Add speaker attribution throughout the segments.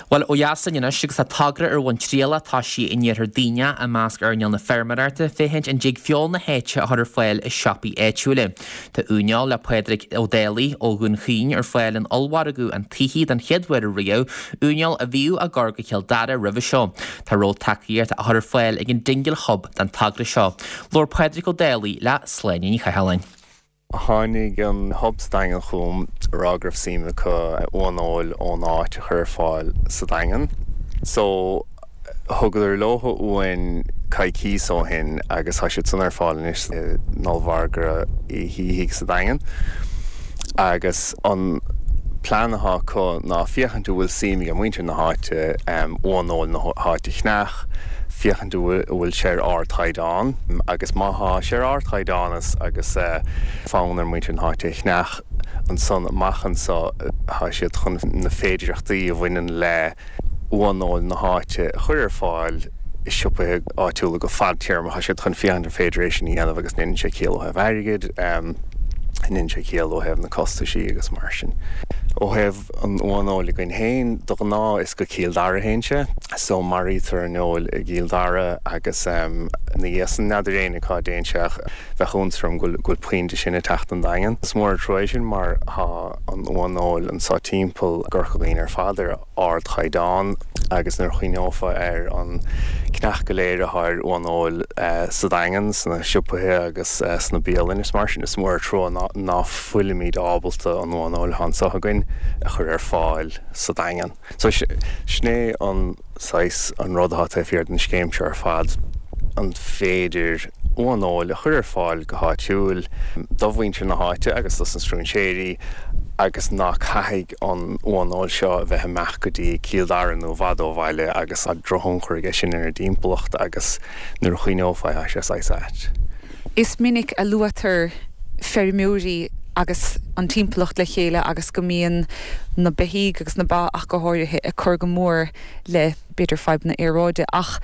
Speaker 1: Bhuel, ó dheas linn anois agus tá togra ar bhun trialach toisithe in iarthar Duibhneach i measc earnáil na feirmeoireachta féachaint an dtig feoil na háite a chur ar fáil i siopaí áitiúla. Tá uaineoil le Pádraig Ó Dálaigh ó Dhún Chaoin ar fáil in ollmhargadh an tSaothaigh den chéad uair riamh, uaineoil a bhíodh á gcur go Cill Dara roimhe seo. Tá ró-tacaíocht á chur ar fáil ag an Dingle Hub don togra seo. Labhair Pádraig Ó Dálaigh le Sláine Ní Chathalláin.
Speaker 2: Tháinig an Hub sa Daingean chugam ag rá go raibh suim acu uaineoil ón áit a chur ar fáil sa Daingean. So, thugadar leo uain coicíos ó shin agus tá siad san ar fáil anois in ollmhargadh Uí Shíthigh sa Daingean. Agus an plean atá acu ná féachaint an bhfuil suim ag muintir na háite uaineoil na háite a cheannach, féachaint an bhfuil sé ar ardchaighdeán agus má thá sé ar ardchaighdeán agus fonn ar muintir na háite é a cheannach, ansan amach anso thá siad chun na féidireachtaí a bhaineann le uaineoil na háite a chur ar fáil i siopaithe áitiúla go fadtéarmach. Thá siad chun féachaint an féidir é sin a dhéanamh agus an ndéanann sé ciall ó thaobh airgid, an ndéanann sé ciall ó thaobh na costaisí agus mar sin. Ó thaobh an uaineoil againn féin, de ghnáth is go Cill Dara a théann sé. So maraítear an fheoil i gCill Dara agus ina dhiaidh san n'fheadar éinne cá dtéann sé ach bheadh iontas orm go bhfuil puinn de sin ag teacht an Daingean. Is mór an trua é sin mar thá an uaineoil anso timpeall i gCorca Dhuibhne ar fad ar ardchaighdeán agus nuair a chuimhneofá ar an cneach go léir athá ar uaineoil sa Daingean, sna siopaithe agus sna bialainn is mar sin, is mór an trua ná fuilimid ábalta an uaineoil athá anso againn a chur ar fáil sa Daingean. So sin é an saghas, an rud athá taobh thiar den scéim seo ar fad, an féidir uaineoil a chur ar fáil go háitiúil do mhuintir na háite agus dos na stróinséirí agus ná caithfidh an uaineoil seo a bheith ag imeacht go dtí Cill Dara nó i bhfad ó bhaile agus tá drochthionchar aige sin ar an dtimpeallacht agus nuair a chuimhneofá tá sé saghas ait.
Speaker 3: Is minic a luaitear feirmeoirí agus an timpeallacht le chéile agus go mbíonn na beithígh agus na ba ach go háirithe ag cur go mór le, b'fhéidir, fadhbanna aeráide. Ach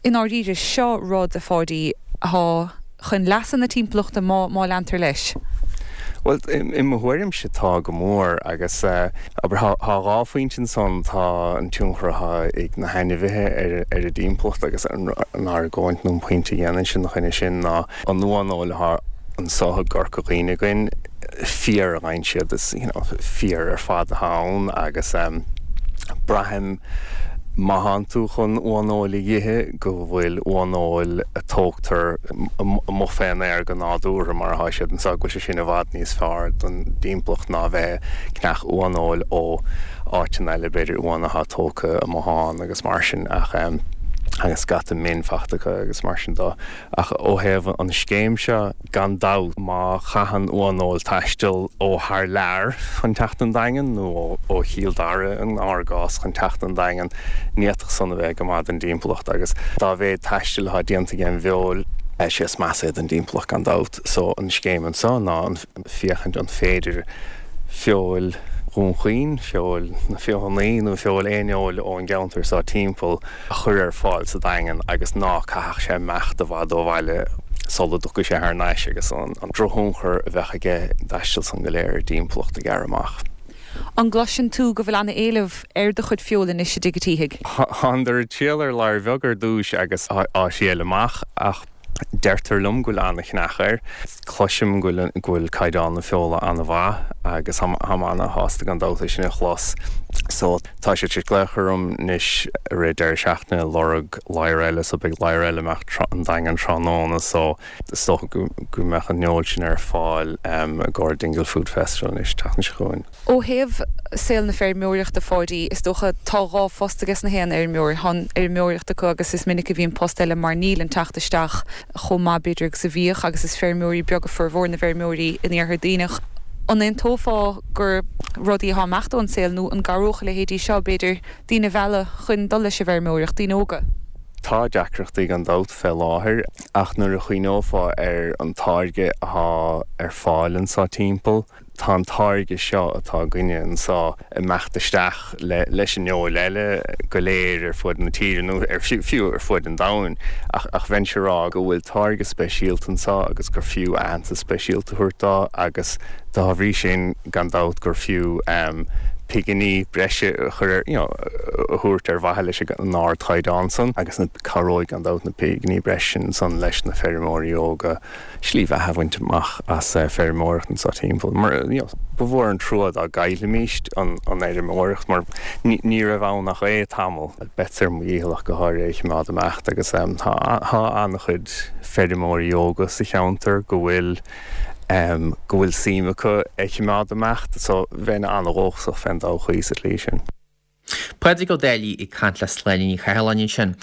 Speaker 3: i ndáiríre, seo rud, a Pháidí, atá chun leasa na timpeallachta má má leantar leis.
Speaker 2: Bhuel, i mo thuairimse tá go mór agus, abair, thá dhá phointe ansan, tá an tionchar athá ag na hainmhithe ar an dtimpeallacht agus an argóint nó an pointe a dhéanainnse ina choinne sin ná an uaineoil athá anso i gCorca Dhuibhne againn, fíor a ghabhann siad, is, you know, fíor ar fad athá ann agus braithim má thánn tú chun uaineoil a dh'ithe go bhfuil uaineoil a tógtar amuigh fén aer go nádúrtha mar athá siad anso, go bhfuil sé sin i bhfad níos fearr don dtimpeallacht ná bheith ag ceannach uaineoil ó áiteanna eile, b'fhéidir uan athá tógtha amuigh ann agus mar sin ach agus scata min fachta acu agus mar sin dó. Ach ó thaobh an scéim seo, gan dabht, má chaitheann uaineoil taisteal ó thar lear chun teacht an Daingean, nó ó Chill Dara in ár gcás chun teacht an Daingean, ní fhéadfadh san a bheith go maith don dtimpeallacht agus dá mhéad taistil atá déanta ag an bhfeoil, is é is measa é don dtimpeallacht gan dabht. So an scéim anso ná féachaint an féidir feoil Dhún Chaoin, feoil na Feothanaí nó feoil aon fheoil ón gceantar so timpeall a chur ar fáil sa Daingean agus ná caithfeadh sé imeacht i bhfad ó bhaile sula dtiocfaidh sé thar n-ais agus an drochthionchar a bheadh aige an dtaisteal san go léir ar an dtimpeallacht a ghearradh amach.
Speaker 3: An gcloiseann tú go bhfuil ana-éileamh ar do chuid feola anois i dTigh a' tSíthigh?
Speaker 2: Thánadar ag triall ar ladhar bheag ar dtúis agus á thriail amach ach deirtear liom go bhfuil ana-cheannach air. Cloisim go bhfuil go bhfuil caighdeán na feola ana-mhaith agus táim ana-shásta gan dabht é sin a chlos. So tá siad tar éis glaoch orm anois i rith deireadh seachtaine ag lorg ladhar eile so beidh ladhar eile ag imeacht an Daingean tráthnóna so is dócha go go mbeadh an fheoil sin ar fáil i gcomhair Dingle Food Festival anois an tseachtain seo chugainn.
Speaker 3: Ó thaobh saol na feirmeoireachta, a Pháidí, is dócha tá dhá phost aige na haon fheirmeoir. Tá an fheirmeoireacht acu agus is minic a bhíonn post eile mar níl an teacht isteach chomh maith b'fhéidir agus a bhíodh agus is feirmeoirí beaga formhór na bhfeirmeoirí in Iarthar Duibhneach. An aontófá gur rudaí atá ag imeacht ón saol nó an gcabhródh a leithéidí seo b'fhéidir daoine a mhealladh chun dul leis an bhfeirmeoireacht, daoine óga?
Speaker 2: Tá deacrachtaí gan dabht fé láthair ach nuair a chuimhneofá ar an táirge athá ar fáil anso timpeall, Tá an táirge seo atá againne anso ag imeacht isteach leis an fheoil eile go léir ar fuaid na tíre nó ar fiú ar fuaid an domhain ach ach bheinnse ag rá go bhfuil táirge speisialta anso agus gur fiú aitheantas speisialta a thabhairt dó agus dá bhrí sin gan dabht gur fiú. piginí breise a chur ar, you know, a thabhairt ar mhaithe leis an ardchaighdeán san agus na, cabhróidh gan dabht na piginí breise sin san leis na feirmeoirí óga slí bheatha a bhaint amach as feirmeoireacht anso timpeall. Mar, you know, ba mhór an trua dá gcaillfimíst an fheirmeoireacht mar ní raibh ann ach é tamall. Beadsa ar mo dhícheall ach go háirithe é a choimeád ag imeacht agus tá an-chuid feirmeoirí óga sa cheantar go bhfuil go bhfuil suim acu é a choimeád ag imeacht so bheinn an-dhóchasach fén dtodhchaí sa tslí sin.
Speaker 1: Pádraig Ó Dálaigh ag caint le Sláine Ní Chathalláin ansin.